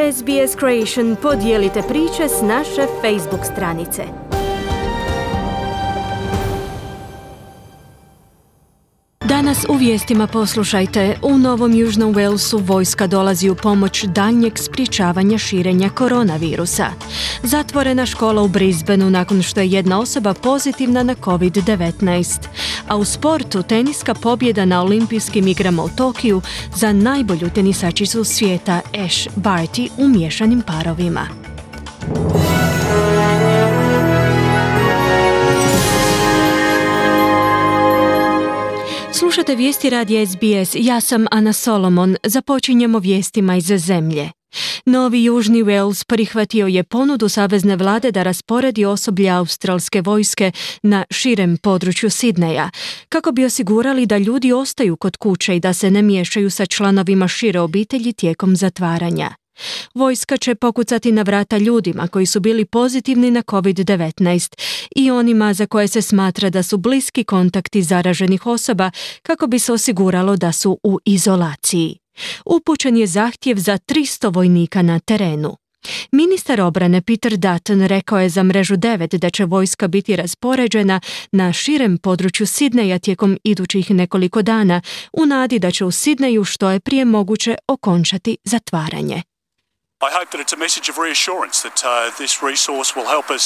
SBS Creation podijelite priče s naše Facebook stranice. Danas u vijestima poslušajte, u Novom Južnom Walesu vojska dolazi u pomoć daljnjeg sprječavanja širenja koronavirusa. Zatvorena škola u Brisbaneu nakon što je jedna osoba pozitivna na COVID-19. A u sportu teniska pobjeda na olimpijskim igrama u Tokiju za najbolju tenisačicu svijeta Ash Barty u miješanim parovima. Slušate vijesti radija SBS, ja sam Ana Solomon, započinjemo vijestima iz zemlje. Novi Južni Wales prihvatio je ponudu savezne vlade da rasporedi osoblje australske vojske na širem području Sidneja, kako bi osigurali da ljudi ostaju kod kuće i da se ne miješaju sa članovima šire obitelji tijekom zatvaranja. Vojska će pokucati na vrata ljudima koji su bili pozitivni na COVID-19 i onima za koje se smatra da su bliski kontakti zaraženih osoba kako bi se osiguralo da su u izolaciji. Upućen je zahtjev za 300 vojnika na terenu. Ministar obrane Peter Dutton rekao je za Mrežu 9 da će vojska biti raspoređena na širem području Sidneja tijekom idućih nekoliko dana u nadi da će u Sidneju što je prije moguće okončati zatvaranje. I hope that it's a message of reassurance that this resource will help us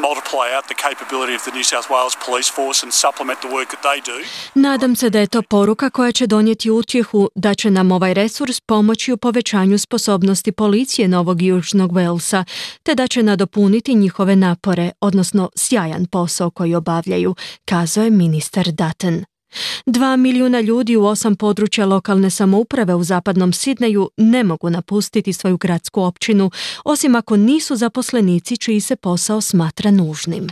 multiply out the capability of the New South Wales Police Force and supplement the work that they do. Nadam se da je to poruka koja će donijeti utjehu da će nam ovaj resurs pomoći u povećanju sposobnosti policije Novog Južnog Walesa, te da će nadopuniti njihove napore, odnosno sjajan posao koji obavljaju, kazao je ministar Dutton. 2 milijuna ljudi u 8 područja lokalne samouprave u zapadnom Sidneju ne mogu napustiti svoju gradsku općinu, osim ako nisu zaposlenici čiji se posao smatra nužnim.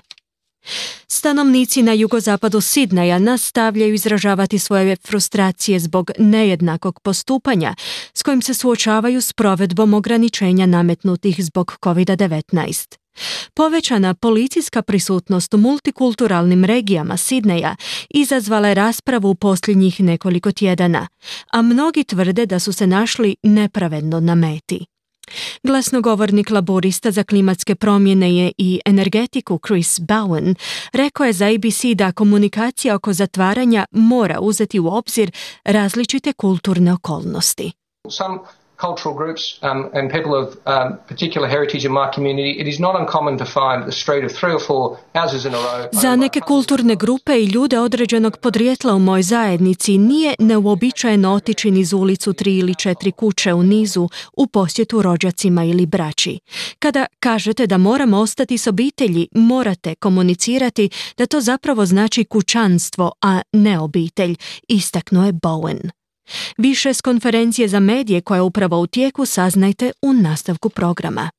Stanovnici na jugozapadu Sidneja nastavljaju izražavati svoje frustracije zbog nejednakog postupanja s kojim se suočavaju s provedbom ograničenja nametnutih zbog COVID-19. Povećana policijska prisutnost u multikulturalnim regijama Sidneja izazvala je raspravu u posljednjih nekoliko tjedana, a mnogi tvrde da su se našli nepravedno na meti. Glasnogovornik laborista za klimatske promjene i energetiku Chris Bowen rekao je za ABC da komunikacija oko zatvaranja mora uzeti u obzir različite kulturne okolnosti. Some cultural groups and people of particular heritage in my community, it is not uncommon to find a street of 3 or 4 houses in a row. Za neke kulturne grupe i ljude određenog podrijetla u mojoj zajednici nije neuobičajeno otići niz ulicu 3 ili 4 kuće u nizu u posjetu rođacima ili braći. Kada kažete da moramo ostati s obitelji, morate komunicirati da to zapravo znači kućanstvo, a ne obitelj, istaknuo je Bowen. Više s konferencije za medije koja je upravo u tijeku saznajte u nastavku programa.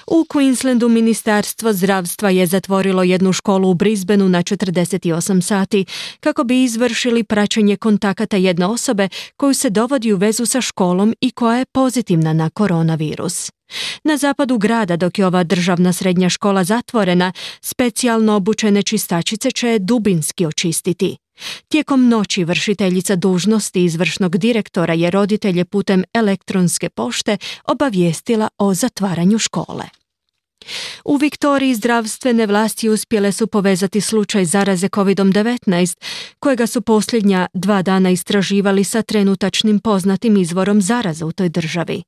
U Queenslandu Ministarstvo zdravstva je zatvorilo jednu školu u Brisbaneu na 48 sati kako bi izvršili praćenje kontakata jedne osobe koju se dovodi u vezu sa školom i koja je pozitivna na koronavirus. Na zapadu grada, dok je ova državna srednja škola zatvorena, specijalno obučene čistačice će je dubinski očistiti. Tijekom noći vršiteljica dužnosti izvršnog direktora je roditelje putem elektronske pošte obavijestila o zatvaranju škole. U Viktoriji zdravstvene vlasti uspjele su povezati slučaj zaraze COVID-19, kojega su posljednja 2 dana istraživali sa trenutačnim poznatim izvorom zaraze u toj državi.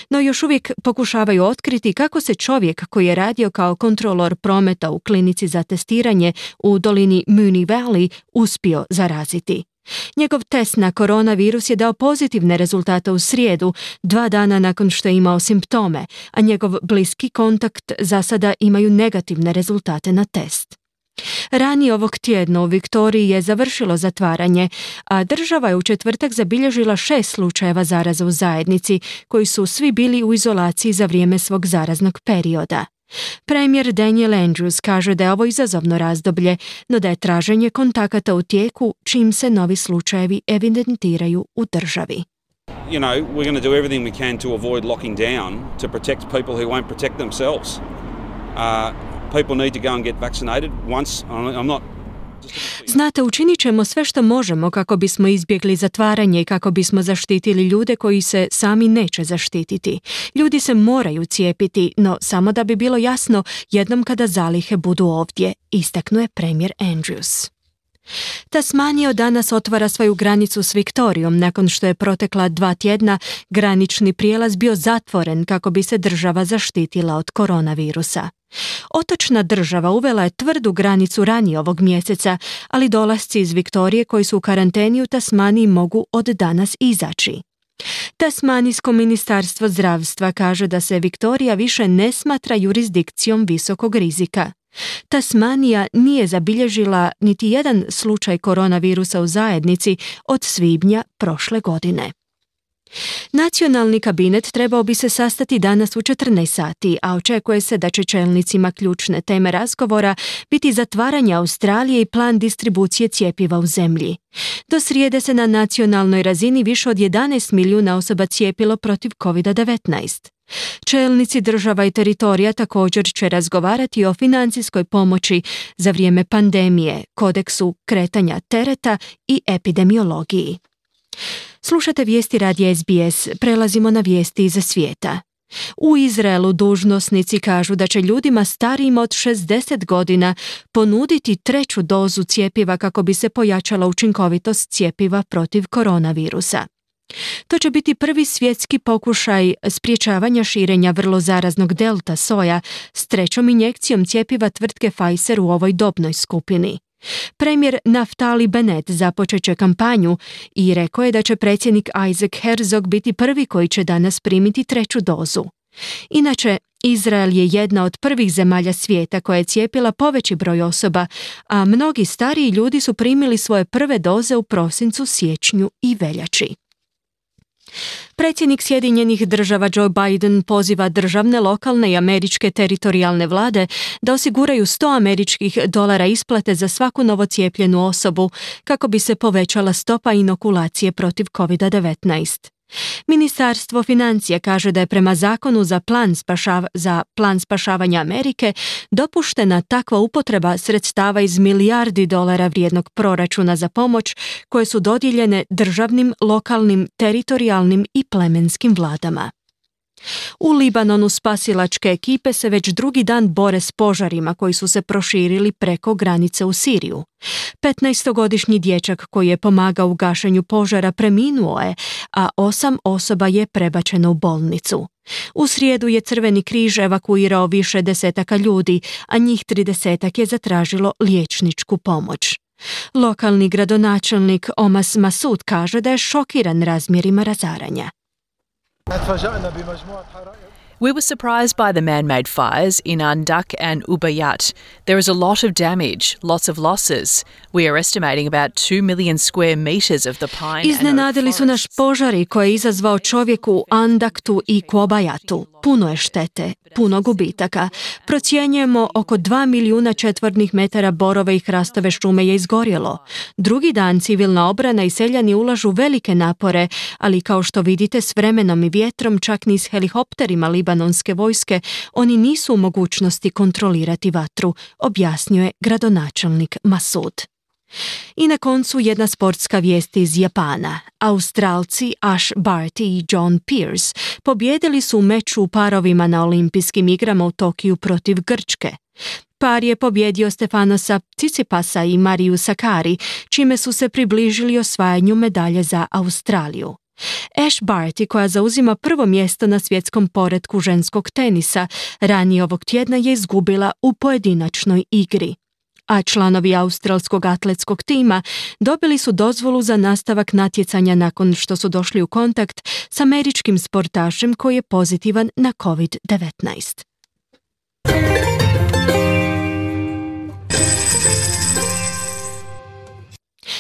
No još uvijek pokušavaju otkriti kako se čovjek koji je radio kao kontrolor prometa u klinici za testiranje u dolini Moonee Valley uspio zaraziti. Njegov test na koronavirus je dao pozitivne rezultate u srijedu, 2 dana nakon što je imao simptome, a njegov bliski kontakt za sada imaju negativne rezultate na test. Ranije ovog tjedna u Viktoriji je završilo zatvaranje, a država je u četvrtak zabilježila 6 slučajeva zaraze u zajednici, koji su svi bili u izolaciji za vrijeme svog zaraznog perioda. Premijer Daniel Andrews kaže da je ovo izazovno razdoblje, no da je traženje kontakata u tijeku čim se novi slučajevi evidentiraju u državi. You know, we're going to do everything we can to avoid locking down to protect people who won't protect themselves. People need to go and get vaccinated once. I'm not Znate, učinit ćemo sve što možemo kako bismo izbjegli zatvaranje i kako bismo zaštitili ljude koji se sami neće zaštititi. Ljudi se moraju cijepiti, no samo da bi bilo jasno jednom kada zalihe budu ovdje, istaknuo je premijer Andrews. Tasmanija od danas otvara svoju granicu s Viktorijom nakon što je protekla 2 tjedna granični prijelaz bio zatvoren kako bi se država zaštitila od koronavirusa. Otočna država uvela je tvrdu granicu ranije ovog mjeseca, ali dolasci iz Viktorije koji su u karanteni u Tasmaniji mogu od danas izaći. Tasmanijsko ministarstvo zdravstva kaže da se Viktorija više ne smatra jurisdikcijom visokog rizika. Tasmanija nije zabilježila niti jedan slučaj koronavirusa u zajednici od svibnja prošle godine. Nacionalni kabinet trebao bi se sastati danas u 14 sati, a očekuje se da će čelnicima ključne teme razgovora biti zatvaranje Australije i plan distribucije cjepiva u zemlji. Do srijede se na nacionalnoj razini više od 11 milijuna osoba cijepilo protiv COVID-19. Čelnici država i teritorija također će razgovarati o financijskoj pomoći za vrijeme pandemije, kodeksu kretanja tereta i epidemiologiji. Slušate vijesti radija SBS, prelazimo na vijesti iz svijeta. U Izraelu dužnosnici kažu da će ljudima starijima od 60 godina ponuditi 3. dozu cjepiva kako bi se pojačala učinkovitost cjepiva protiv koronavirusa. To će biti prvi svjetski pokušaj sprječavanja širenja vrlo zaraznog delta soja s 3. injekcijom cjepiva tvrtke Pfizer u ovoj dobnoj skupini. Premijer Naftali Bennett započet će kampanju i rekao je da će predsjednik Isaac Herzog biti prvi koji će danas primiti 3. dozu. Inače, Izrael je jedna od prvih zemalja svijeta koja je cijepila poveći broj osoba, a mnogi stariji ljudi su primili svoje prve doze u prosincu, siječnju i veljači. Predsjednik Sjedinjenih država Joe Biden poziva državne, lokalne i američke teritorijalne vlade da osiguraju $100 isplate za svaku novocijepljenu osobu kako bi se povećala stopa inokulacije protiv COVID-19. Ministarstvo financija kaže da je prema zakonu za plan spašavanja Amerike dopuštena takva upotreba sredstava iz milijardi dolara vrijednog proračuna za pomoć koje su dodijeljene državnim, lokalnim, teritorijalnim i plemenskim vladama. U Libanonu spasilačke ekipe se već drugi dan bore s požarima koji su se proširili preko granice u Siriju. 15-godišnji dječak koji je pomagao u gašenju požara preminuo je, a 8 osoba je prebačeno u bolnicu. U srijedu je Crveni križ evakuirao više desetaka ljudi, a njih 30 je zatražilo liječničku pomoć. Lokalni gradonačelnik Omas Masud kaže da je šokiran razmjerima razaranja. We were surprised by the man-made fires in Andak and Ubayyat. There is a lot of damage, lots of losses. We are estimating about 2 million square meters of the pine and oak Iznenadili su naš požari koje je izazvao čovjek u Andaktu i Kuobayatu. Puno je štete, puno gubitaka. Procjenjujemo oko 2 milijuna četvornih metara borove i hrastove šume je izgorjelo. Drugi dan civilna obrana i seljani ulažu velike napore, ali kao što vidite s vremenom i vjetrom, čak ni s helikopterima libanonske vojske, oni nisu u mogućnosti kontrolirati vatru, objasnio je gradonačelnik Masud. I na koncu jedna sportska vijest iz Japana. Australci Ash Barty i John Pearce pobijedili su u meču u parovima na olimpijskim igrama u Tokiju protiv Grčke. Par je pobjedio Stefanosa Tsitsipasa i Mariju Sakari, čime su se približili osvajanju medalje za Australiju. Ash Barty, koja zauzima prvo mjesto na svjetskom poretku ženskog tenisa, ranije ovog tjedna je izgubila u pojedinačnoj igri. A članovi australskog atletskog tima dobili su dozvolu za nastavak natjecanja nakon što su došli u kontakt s američkim sportašem koji je pozitivan na COVID-19.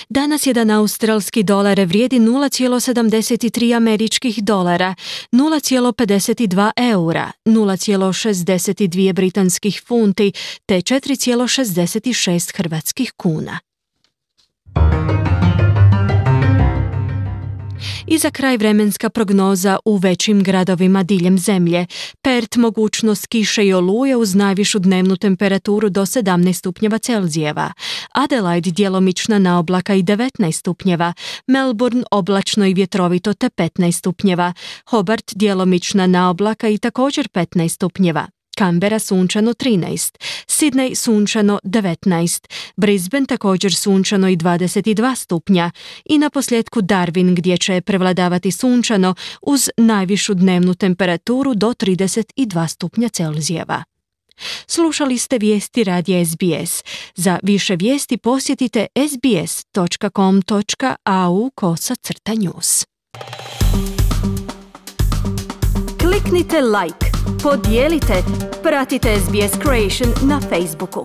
Danas jedan australski dolar vrijedi 0,73 američkih dolara, 0,52 eura, 0,62 britanskih funti te 4,66 hrvatskih kuna. I za kraj vremenska prognoza u većim gradovima diljem zemlje. Perth mogućnost kiše i oluje uz najvišu dnevnu temperaturu do 17 stupnjeva Celzijeva. Adelaide djelomična naoblaka i 19 stupnjeva. Melbourne oblačno i vjetrovito te 15 stupnjeva. Hobart djelomična naoblaka i također 15 stupnjeva. Canberra sunčano 13, Sydney sunčano 19, Brisbane također sunčano i 22 stupnja i naposljetku Darwin gdje će prevladavati sunčano uz najvišu dnevnu temperaturu do 32 stupnja Celzijeva. Slušali ste vijesti radija SBS. Za više vijesti posjetite sbs.com.au/news. Kliknite like, podijelite, pratite SBS Creation na Facebooku.